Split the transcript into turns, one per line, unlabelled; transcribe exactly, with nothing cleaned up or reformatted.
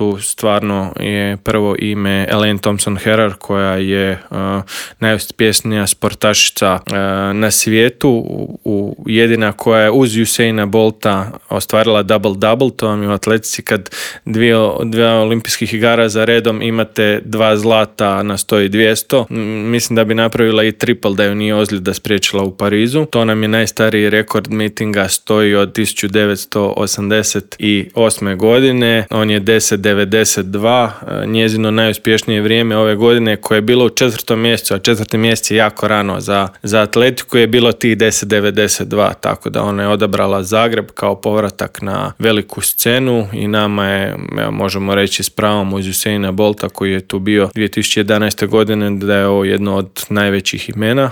tu stvarno je prvo ime Elaine Thompson-Herah koja je uh, najuspješnija sportašica uh, na svijetu, u, u, jedina koja je uz Usaina Bolta ostvarila double-double, to vam je u atletici kad dvije, dvije olimpijskih igara za redom imate dva zlata na sto i dvjesto. Mislim da bi napravila i triple da ju nije ozljeda spriječila u Parizu. To nam je najstariji rekord mitinga, stoji od tisuću devetsto osamdeset osme godine. On je deset devedeset dva. Njezino najuspješnije vrijeme ove godine koje je bilo u četvrtom mjesecu, a četvrti mjesec je jako rano za, za atletiku, je bilo tih deset devedeset dva, tako da ona je odabrala Zagreb kao povratak na veliku scenu i nama je, evo, možemo reći s pravom uz Usaina Bolta koji je tu bio dvije tisuće jedanaeste godine da je ovo jedno od najvećih imena.